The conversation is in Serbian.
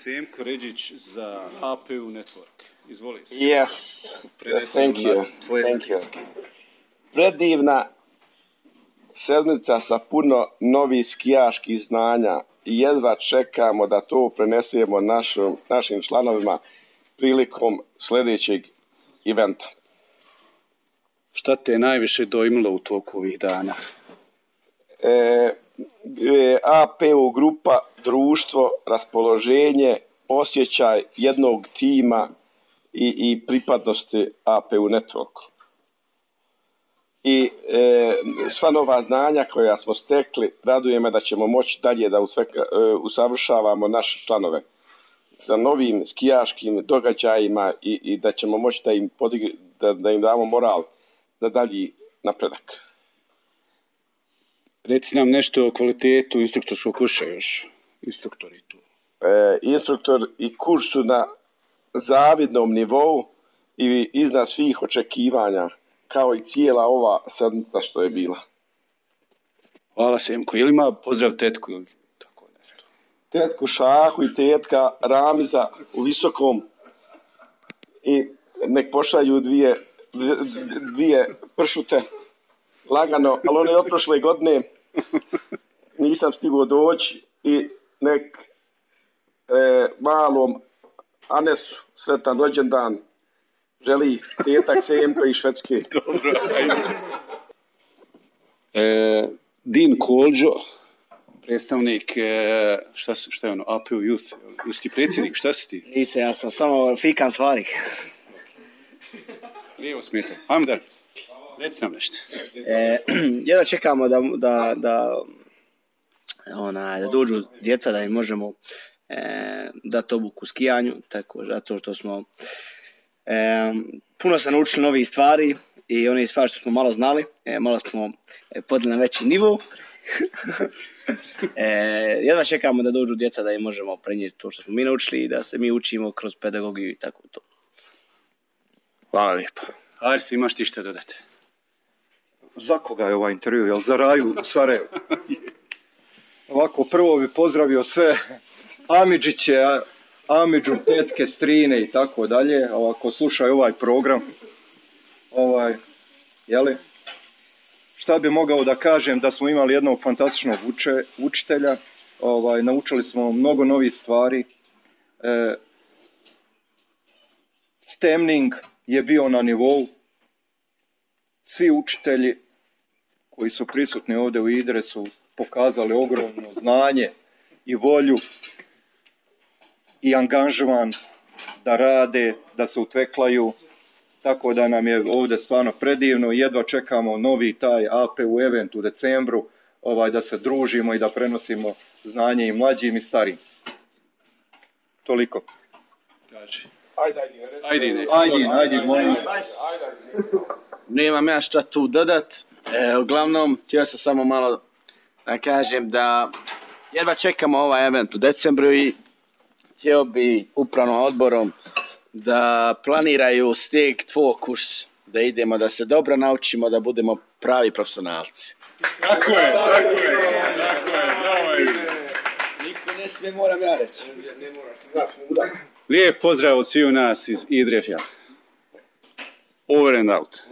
Semko Ređić za APU Network. Izvoli se. Yes, thank you. Predivna sedmica sa puno novih skijaških znanja i jedva čekamo da to prenesemo našim članovima prilikom sljedećeg eventa. Šta te je najviše dojmilo u toku ovih dana? APU grupa, društvo, raspoloženje, osjećaj jednog tima i pripadnosti APU Networku. I sva nova znanja koja smo stekli, raduje me da ćemo moći dalje da usavršavamo naše članove sa novim skijaškim događajima i da ćemo moći da im damo moral za dalji napredak. Reci nam nešto o kvalitetu instruktorskog kursa još. Instruktori tu. Instruktor i kurs su na zavidnom nivou i iznad svih očekivanja, kao i cijela ova sedmica što je bila. Hvala Semko. Je li ima pozdrav tetku ili tako nešto? Tetku Šahu i tetka Ramiza u Visokom i nek pošalju dvije pršute lagano, ali one od prošle godine nisam stigao doći i nek malom Anesu sretan rođendan želi tetak Semko iz Švedske. Dobro, ajde. Din Kolđo, predstavnik, šta je ono, APU Youth, jesi ti predsjednik, šta si ti? Nisam, ja sam samo Fikan Svarik. Lijevo smijete, ajmo dalje. Reci nam nešto. Jedva čekamo da dođu djeca, da im možemo dati obuku skijanju, tako zato što smo puno se naučili novih stvari i one stvari što smo malo znali, malo smo podili na veći nivo. Jedva čekamo da dođu djeca da im možemo prenijeti to što smo mi naučili i da se mi učimo kroz pedagogiju i tako to. Hvala lijepo. Aris, imaš ti šta dodati? Za koga je ovaj intervju? Jel za Raju u Sarajevu? Ovako, prvo bi pozdravio sve Amidžiće, Amidžu, tetke, strine i tako dalje. Ovako, slušaj ovaj program. Jeli? Šta bi mogao da kažem, da smo imali jednog fantastičnog učitelja. Naučili smo mnogo novih stvari. Stemning je bio na nivou. Svi učitelji koji su prisutni ovdje u Idre su pokazali ogromno znanje i volju i angažman da rade, da se utveklaju, tako da nam je ovdje stvarno predivno. Jedva čekamo novi taj APU event u decembru, da se družimo i da prenosimo znanje i mlađim i starim. Toliko. Ajde, molim. Nemam ja šta tu dodat. Uglavnom, htio sam samo malo da kažem da jedva čekamo ovaj event u decembru i htio bi upravnom odborom da planiraju steg 2 kurs, da idemo, da se dobro naučimo, da budemo pravi profesionalci. Tako je. Niko ne smije, moram ja reći. Lijep pozdrav od sviju nas iz Idrefja. Over and out.